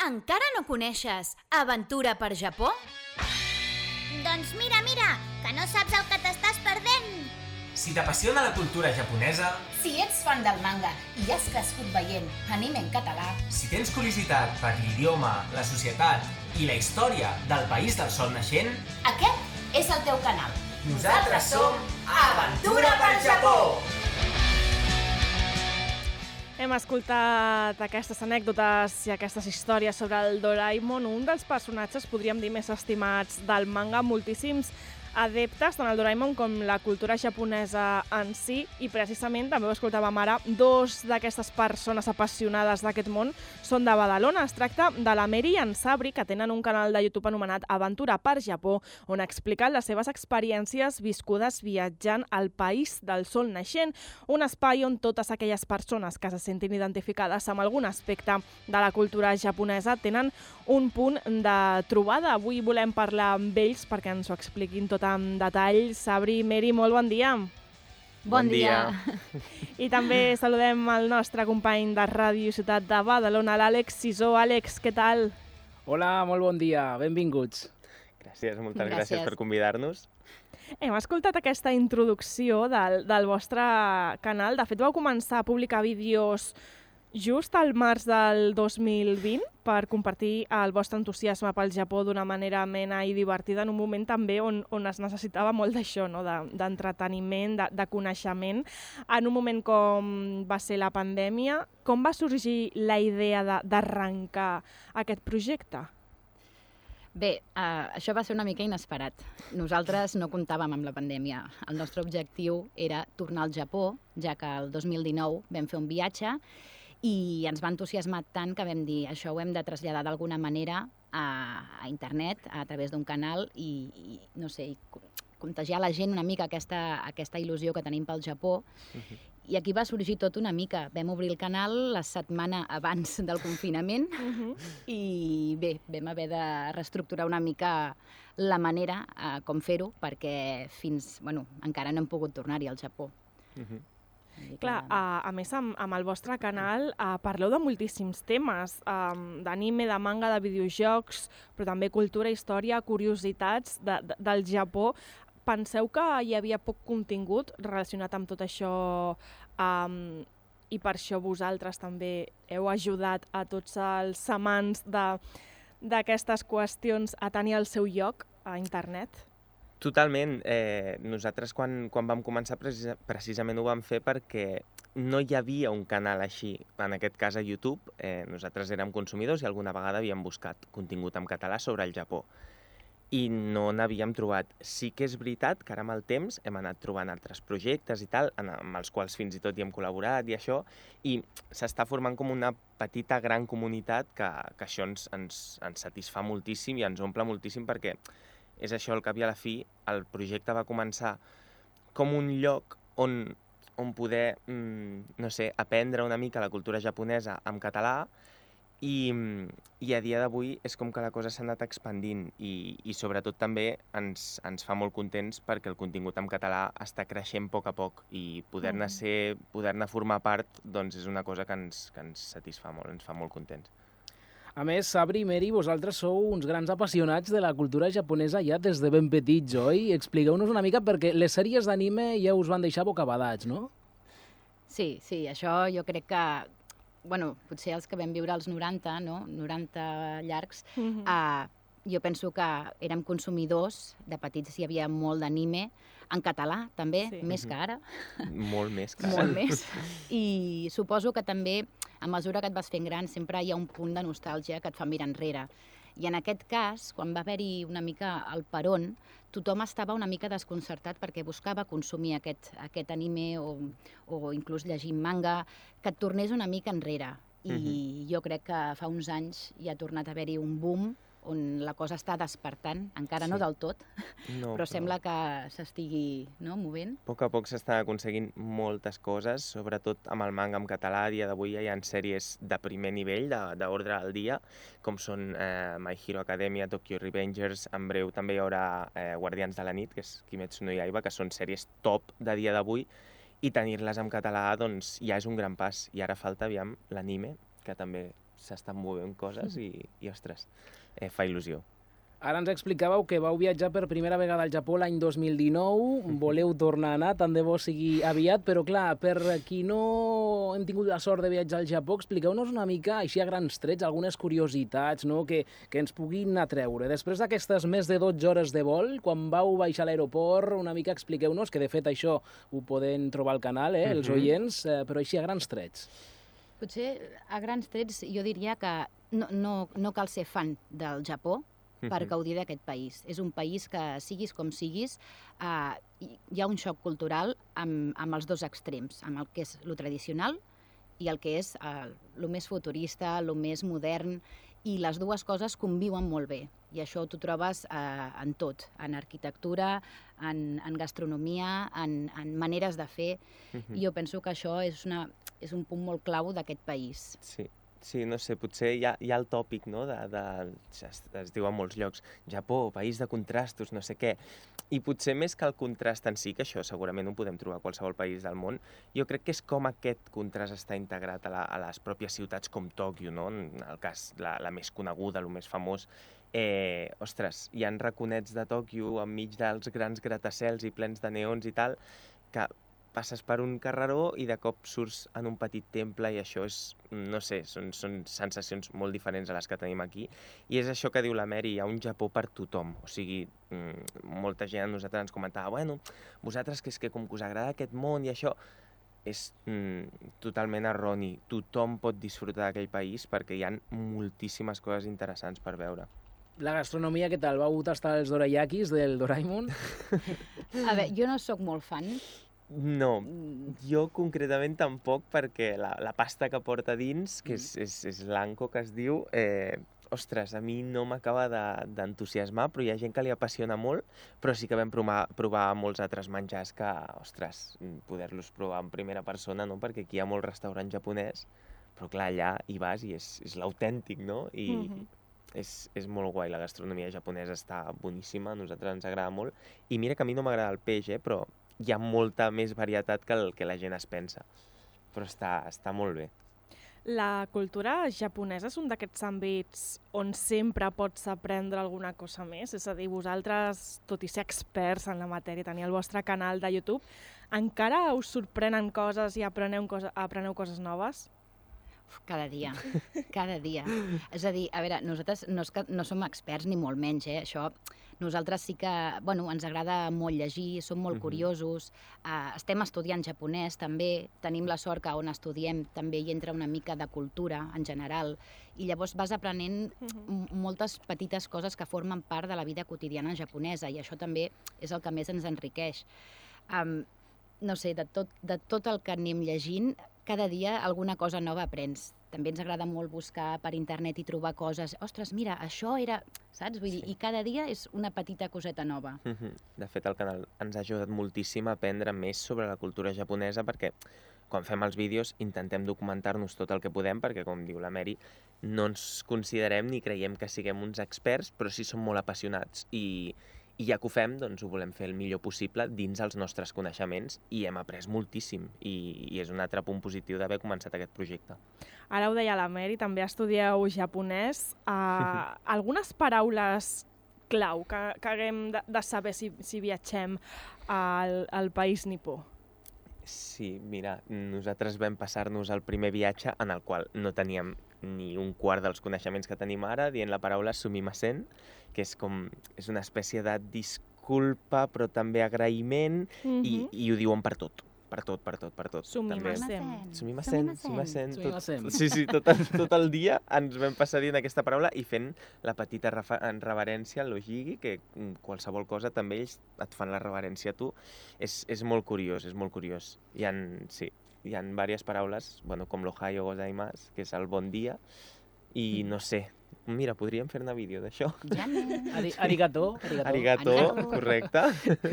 Encara no coneixes Aventura per Japó? Doncs mira, que no saps el que t'estàs perdent. Si t'apassiona la cultura japonesa, si ets fan del manga i has crescut veient anime en català, si tens curiositat per l'idioma, la societat i la història del país del sol naixent, aquest és el teu canal. Nosaltres som Aventura per Japó! Hem escoltat aquestes anècdotes i aquestes històries sobre el Doraemon, un dels personatges, podríem dir, més estimats del manga. Moltíssims adeptes, tant al Doraemon com la cultura japonesa en si, i precisament, també ho escoltàvem ara, dos d'aquestes persones apassionades d'aquest món són de Badalona. Es tracta de la Mary i en Sabri, que tenen un canal de YouTube anomenat Aventura per Japó, on expliquen les seves experiències viscudes viatjant al país del sol naixent, un espai on totes aquelles persones que se sentin identificades amb algun aspecte de la cultura japonesa tenen un punt de trobada. Avui volem parlar amb ells perquè ens ho expliquin tot en detall. Sabri, Mary, molt bon dia. Bon dia. I també saludem el nostre company de Ràdio Ciutat de Badalona, l'Àlex Sisó. Àlex, què tal? Hola, molt bon dia, benvinguts. Gràcies, moltes gràcies per convidar-nos. Hem escoltat aquesta introducció del vostre canal. De fet, vau començar a publicar vídeos just al març del 2020 per compartir el vostre entusiasme pel Japó d'una manera amena i divertida en un moment també on es necessitava molt d'això, no? D'entreteniment, de coneixement. En un moment com va ser la pandèmia, com va sorgir la idea d'arrencar aquest projecte? Bé, això va ser una mica inesperat. Nosaltres no comptàvem amb la pandèmia. El nostre objectiu era tornar al Japó, ja que el 2019 vam fer un viatge i ens va entusiasmar tant que vam dir això ho hem de traslladar d'alguna manera a internet, a través d'un canal i no sé, contagiar a la gent una mica aquesta il·lusió que tenim pel Japó. I aquí va sorgir tot una mica. Vam obrir el canal la setmana abans del confinament i bé, vam haver de reestructurar una mica la manera com fer-ho perquè encara no hem pogut tornar-hi al Japó. Clar, a més, amb el vostre canal parleu de moltíssims temes, d'anime, de manga, de videojocs, però també cultura, història, curiositats del Japó. Penseu que hi havia poc contingut relacionat amb tot això i per això vosaltres també heu ajudat a tots els amants d'aquestes qüestions a tenir el seu lloc a internet? Totalment. Nosaltres quan vam començar precisament ho vam fer perquè no hi havia un canal així, en aquest cas a YouTube. Nosaltres érem consumidors i alguna vegada havíem buscat contingut en català sobre el Japó i no n'havíem trobat. Sí que és veritat que ara amb el temps hem anat trobant altres projectes i tal, amb els quals fins i tot hi hem col·laborat i això, i s'està formant com una petita gran comunitat que això ens satisfà moltíssim i ens omple moltíssim perquè és això, al cap i a la fi, el projecte va començar com un lloc on poder, no sé, aprendre una mica la cultura japonesa en català i a dia d'avui és com que la cosa s'ha anat expandint i sobretot també ens fa molt contents perquè el contingut en català està creixent a poc i poder-ne formar part doncs és una cosa que ens satisfà molt, ens fa molt contents. A més, Sabri i Mary, vosaltres sou uns grans apassionats de la cultura japonesa ja des de ben petits, oi? Expliqueu-nos una mica, perquè les sèries d'anime ja us van deixar bocabadats, no? Sí, això jo crec que, potser els que vam viure als 90, no? 90 llargs, jo penso que érem consumidors, de petits hi havia molt d'anime, en català també, més que ara. Molt més que ara. Molt més. I suposo que també, a mesura que et vas fent gran, sempre hi ha un punt de nostàlgia que et fa mirar enrere. I en aquest cas, quan va haver-hi una mica el peron, tothom estava una mica desconcertat perquè buscava consumir aquest anime o inclús llegir manga, que et tornés una mica enrere. I jo crec que fa uns anys hi ha tornat a haver-hi un boom on la cosa està despertant, encara no del tot, però sembla que s'estigui movent. A poc s'estan aconseguint moltes coses, sobretot amb el manga en català. A dia d'avui hi ha sèries de primer nivell, d'ordre al dia, com són My Hero Academia, Tokyo Revengers, en breu també hi haurà Guardians de la Nit, que és Kimetsu no Yaiba, que són sèries top de dia d'avui, i tenir-les en català doncs ja és un gran pas. I ara falta, l'anime, que també s'estan movent coses i ostres, fa il·lusió. Ara ens explicàveu que vau viatjar per primera vegada al Japó l'any 2019, voleu tornar a anar, tant de bo sigui aviat, però clar, per qui no hem tingut la sort de viatjar al Japó, expliqueu-nos una mica, així a grans trets, algunes curiositats, no?, que ens puguin atreure. Després d'aquestes més de 12 hores de vol, quan vau baixar a l'aeroport, una mica expliqueu-nos, que de fet això ho poden trobar al canal, els oients, però així a grans trets. Potser a grans trets jo diria que no cal ser fan del Japó per gaudir d'aquest país. És un país que, siguis com siguis, hi ha un xoc cultural amb els dos extrems, amb el que és lo tradicional i el que és el més futurista, el més modern, i les dues coses conviuen molt bé. I això t'ho trobes en tot, en arquitectura, en gastronomia, en maneres de fer. I jo penso que això és un punt molt clau d'aquest país. Sí, no sé, potser hi ha el tòpic, no?, es diu a molts llocs, Japó, país de contrastos, no sé què, i potser més que el contrast en si, que això segurament ho podem trobar a qualsevol país del món, jo crec que és com aquest contrast està integrat a les pròpies ciutats com Tòquio, no?, en el cas la més coneguda, el més famós. Ostres, hi ha raconets de Tòquio enmig dels grans gratacels i plens de neons i tal, que passes per un carreró i de cop surts en un petit temple i això és, no sé, són sensacions molt diferents a les que tenim aquí. I és això que diu la Mary, hi ha un Japó per tothom. O sigui, molta gent a nosaltres ens comentava, bueno, vosaltres que és que com que us agrada aquest món i això, és totalment erroni. Tothom pot disfrutar d'aquell país perquè hi ha moltíssimes coses interessants per veure. La gastronomia, què tal? Vau tastar els dorayakis del Doraemon? A veure, jo no sóc molt fan. No, jo concretament tampoc, perquè la pasta que porta dins, que és l'anko que es diu, ostres, a mi no m'acaba d'entusiasmar, però hi ha gent que li apassiona molt, però sí que vam provar molts altres menjars que, ostres, poder-los provar en primera persona, no?, perquè aquí hi ha molt restaurant japonès, però clar, allà hi vas i és l'autèntic, no?, i és molt guai, la gastronomia japonesa està boníssima, a nosaltres ens agrada molt, i mira que a mi no m'agrada el peix, però hi ha molta més varietat que el que la gent es pensa, però està molt bé. La cultura japonesa és un d'aquests àmbits on sempre pots aprendre alguna cosa més? És a dir, vosaltres, tot i ser experts en la matèria, tenir el vostre canal de YouTube, encara us sorprenen coses i apreneu coses noves? Cada dia, cada dia. És a dir, a veure, nosaltres no som experts ni molt menys, això. Nosaltres sí que, bueno, ens agrada molt llegir, som molt curiosos, estem estudiant japonès també, tenim la sort que on estudiem també hi entra una mica de cultura en general, i llavors vas aprenent moltes petites coses que formen part de la vida quotidiana japonesa, i això també és el que més ens enriqueix. No sé, de tot el que anem llegint, cada dia alguna cosa nova aprens. També ens agrada molt buscar per internet i trobar coses. Ostres, mira, això era... Saps? Vull dir, i cada dia és una petita coseta nova. De fet, el canal ens ha ajudat moltíssim a aprendre més sobre la cultura japonesa perquè quan fem els vídeos intentem documentar-nos tot el que podem perquè, com diu la Mary, no ens considerem ni creiem que siguem uns experts, però sí som molt apassionats i ja que ho fem, doncs ho volem fer el millor possible dins els nostres coneixements i hem après moltíssim i és un altre punt positiu d'haver començat aquest projecte. Ara ho deia la Mary, també estudieu japonès. Algunes paraules clau que haguem de saber si viatgem al país nipó? Sí, mira, nosaltres vam passar-nos el primer viatge en el qual no teníem ni un quart dels coneixements que tenim ara, dient la paraula sumimasen, que és una espècie de disculpa però també agraïment i ho diuen per tot. Per tot. Sumimasen. Sí, tot el dia ens vam passar dient aquesta paraula i fent la petita reverència al lojigi, que qualsevol cosa també ells et fan la reverència a tu. És molt curiós, Hi ha diverses paraules, com l'ohayo gozaimasu, que és el bon dia, i no sé, mira, podríem fer-ne vídeo d'això. Arigato. Arigato, correcte.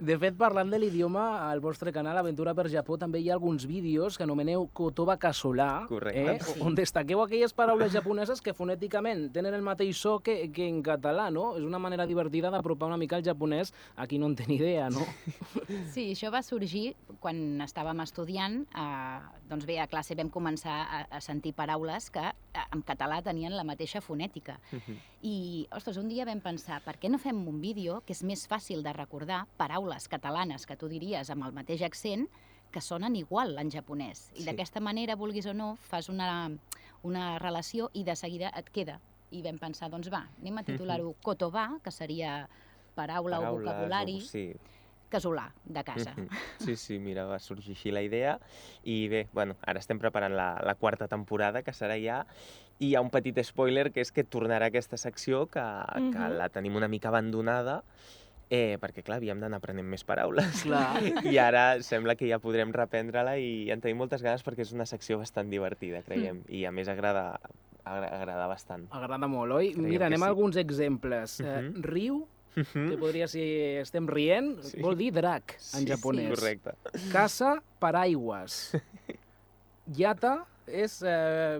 De fet, parlant de l'idioma, al vostre canal Aventura per Japó també hi ha alguns vídeos que anomeneu Kotoba Kasola, Correcte. on destaqueu aquelles paraules japoneses que fonèticament tenen el mateix so que en català, no? És una manera divertida d'apropar una mica el japonès a qui no en té ni idea, no? Sí, això va sorgir quan estàvem estudiant. Doncs bé, a classe vam començar a sentir paraules que en català tenien la mateixa fonètica. I, ostres, un dia vam pensar, per què no fem un vídeo que és més fàcil de recordar paraules catalanes que tu diries amb el mateix accent que sonen igual en japonès. I d'aquesta manera, vulguis o no, fas una relació i de seguida et queda. I vam pensar, doncs va, anem a titular-ho Kotoba, que seria paraula o vocabulari, Sí. casolà, de casa. Sí, mira, va sorgir així la idea. I bé, bueno, ara estem preparant la quarta temporada, que serà ja, i hi ha un petit spoiler, que és que tornarà aquesta secció, que la tenim una mica abandonada, perquè, clar, havíem d'anar aprenent més paraules. Clar. I ara sembla que ja podrem reprendre-la i en tenim moltes ganes perquè és una secció bastant divertida, creiem. I a més agrada bastant. Agrada molt, oi? Creiem Mira, que anem a sí. alguns exemples. Riu, que podria ser estem rient, vol dir drac en japonès. Correcte. Casa, paraigües. Yata és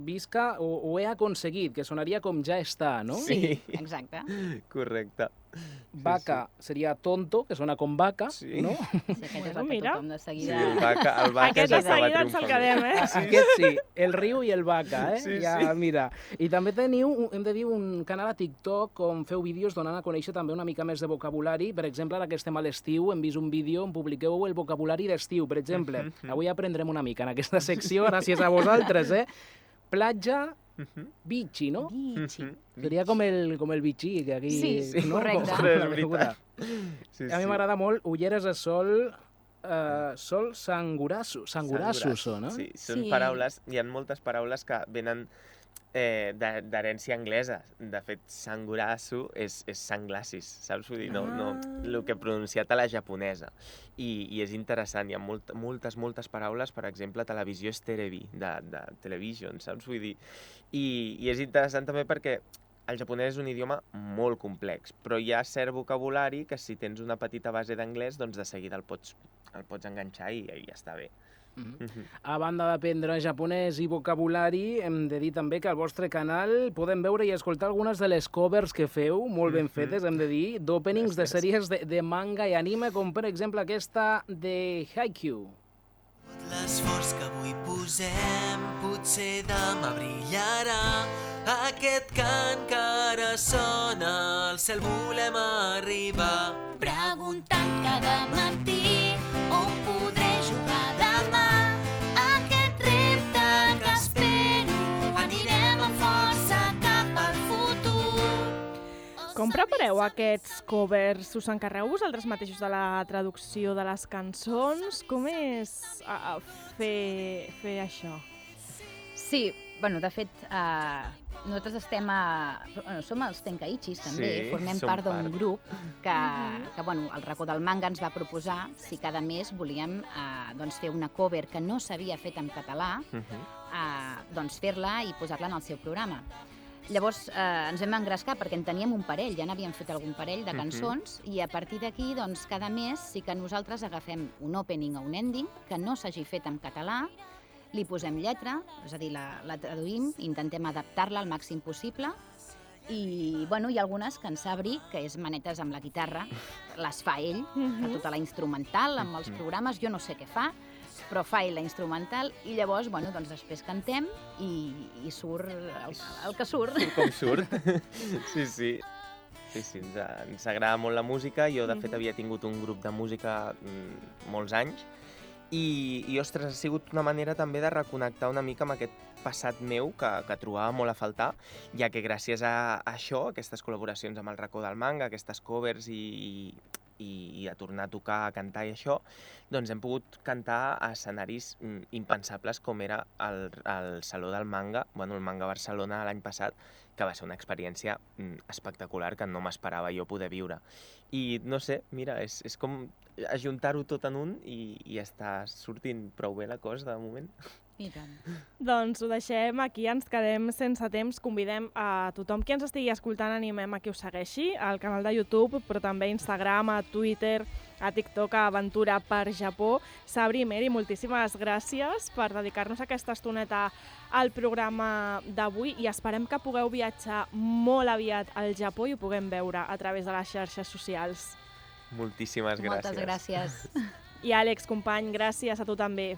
visca o ho he aconseguit, que sonaria com ja està, no? Sí. Exacte. Correcte. Vaca seria tonto, que sona com vaca, Sí. no? Sí, aquest és el que mira. tothom de Sí, seguida... el vaca Aquest de ja acaba seguida ens el triomfant. quedem, Aquest sí, el riu i el vaca, Sí, ja, sí. mira. I també teniu, hem de dir, un canal a TikTok on feu vídeos donant a conèixer també una mica més de vocabulari. Per exemple, ara que estem a l'estiu, hem vist un vídeo on publiqueu el vocabulari d'estiu, per exemple. Avui aprendrem una mica en aquesta secció, gràcies a vosaltres, Platja, bichi, no? Bichi. Seria com el bichi, que aquí... Sí, no? correcte. Com És la veritat. beguda. A mi m'agrada molt ulleres de sol, sol sangurasu són, no? Sí, són Sí. paraules, hi ha moltes paraules que venen d'herència anglesa. De fet, sangurasu és sunglasses, saps? Vull dir, no, el que he pronunciat a la japonesa. I és interessant, hi ha moltes paraules, per exemple, televisió és terebi, de television, saps? Vull dir, i és interessant també perquè el japonès és un idioma molt complex, però hi ha cert vocabulari que si tens una petita base d'anglès, doncs de seguida el pots enganxar i ja està bé. A banda d'aprendre japonès i vocabulari, hem de dir també que al vostre canal podem veure i escoltar algunes de les covers que feu, molt ben fetes, hem de dir, d'openings de sèries de manga i anime, com per exemple aquesta de Haikyuu. L'esforç que avui posem potser demà brillarà. Aquest cant que ara sona al cel volem arribar. Preguntant cada matí on podré jugar demà. Aquest repte que espero anirem amb força cap al futur. Com prepareu aquests covers? Us encarregueu vosaltres mateixos de la traducció de les cançons? Com és fer això? Sí, bueno, de fet, nosaltres som els Tenkaichis, també, Sí, formem som part d'un part. grup que bueno, el racó del manga ens va proposar si cada mes volíem doncs fer una cover que no s'havia fet en català, doncs fer-la i posar-la en el seu programa. Llavors ens vam engrescar perquè en teníem un parell, ja n'havíem fet algun parell de cançons i a partir d'aquí, doncs, cada mes sí que nosaltres agafem un opening o un ending que no s'hagi fet en català, li posem lletra, és a dir, la traduïm, intentem adaptar-la al màxim possible i, bueno, hi ha algunes que en Sabri, que és manetes amb la guitarra, les fa ell, fa tota la instrumental amb els programes, jo no sé què fa, però fa ell la instrumental i llavors, bueno, doncs després cantem i surt el que surt. Com surt. Sí, ens agrada molt la música. Jo, de fet, havia tingut un grup de música molts anys i ostres, ha sigut una manera també de reconnectar una mica amb aquest passat meu que trobava molt a faltar, ja que gràcies a això, aquestes col·laboracions amb el racó del manga, aquestes covers i a tornar a tocar, a cantar i això, doncs hem pogut cantar a escenaris impensables com era el Saló del Manga, bueno, el Manga Barcelona l'any passat, que va ser una experiència espectacular que no m'esperava jo poder viure. I no sé, mira, és com ajuntar-ho tot en un i està sortint prou bé la cosa de moment. I tant. Doncs ho deixem aquí, ens quedem sense temps. Convidem a tothom qui ens estigui escoltant, animem a que us segueixi al canal de YouTube, però també a Instagram, a Twitter, a TikTok, a Aventura per Japó. Sabri, Meri, moltíssimes gràcies per dedicar-nos aquesta estoneta al programa d'avui i esperem que pugueu viatjar molt aviat al Japó i ho puguem veure a través de les xarxes socials. Moltíssimes gràcies. Moltes gràcies. I Àlex, company, gràcies a tu també.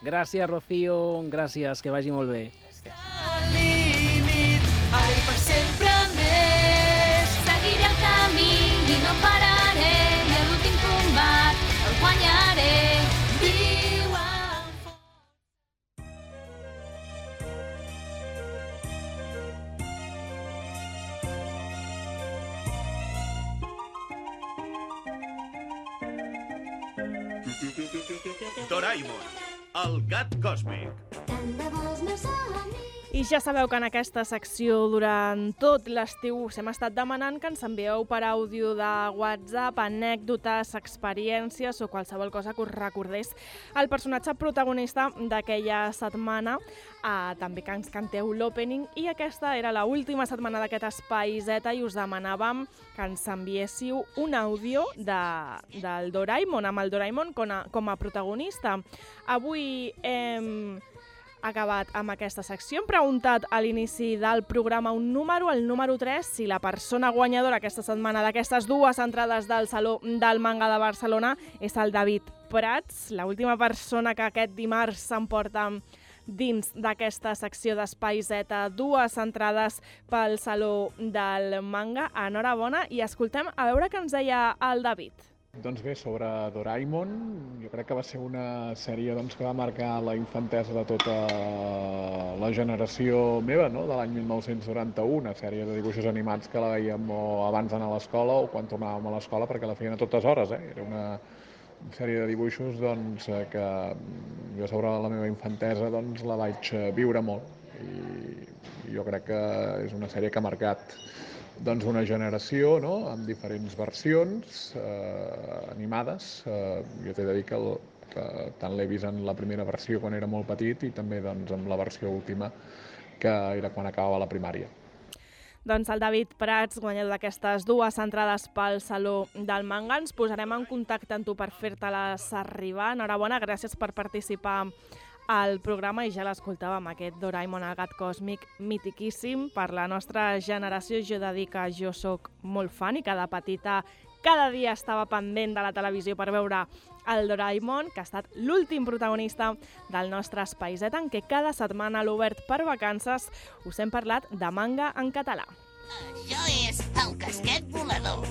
Gràcies, Rocío, gràcies, que vagi molt bé. Al límit, ara i per sempre més. Seguiré el camí i no pararé, i a l'últim combat el guanyaré. Viu amb força. Doraemon, el gat còsmic. I ja sabeu que en aquesta secció durant tot l'estiu us hem estat demanant que ens envieu per àudio de WhatsApp anècdotes, experiències o qualsevol cosa que us recordés el personatge protagonista d'aquella setmana. També que ens canteu l'opening i aquesta era l'última setmana d'aquest Espai Z i us demanàvem que ens enviéssiu un àudio del Doraemon, amb el Doraemon com a protagonista. Avui hem acabat amb aquesta secció. Hem preguntat a l'inici del programa un número, el número 3, si la persona guanyadora aquesta setmana d'aquestes dues entrades del Saló del Manga de Barcelona és el David Prats, l'última persona que aquest dimarts s'emporta dins d'aquesta secció d'Espai Z, dues entrades pel Saló del Manga. Enhorabona i escoltem a veure què ens deia el David. Doncs bé, sobre Doraemon, jo crec que va ser una sèrie que va marcar la infantesa de tota la generació meva, no? De l'any 1991, una sèrie de dibuixos animats que la veiem o abans d'anar a l'escola o quan tornàvem a l'escola, perquè la feien a totes hores. Era una sèrie de dibuixos que jo sobre la meva infantesa la vaig viure molt. I jo crec que és una sèrie que ha marcat una generació, no? Amb diferents versions animades. Jo t'he de dir que tant l'he vist en la primera versió quan era molt petit i també amb la versió última, que era quan acabava la primària. Doncs el David Prats, guanyador d'aquestes dues entrades pel Saló del Manga. Ens posarem en contacte amb tu per fer-te-les arribar. Enhorabona, gràcies per participar al programa i ja l'escoltàvem, aquest Doraemon, el gat còsmic, mitiquíssim per la nostra generació. Jo he de dir que jo sóc molt fan i que de petita cada dia estava pendent de la televisió per veure el Doraemon, que ha estat l'últim protagonista del nostre Espai Z, en què cada setmana a l'Obert per Vacances us hem parlat de manga en català. Això és el casquet volador.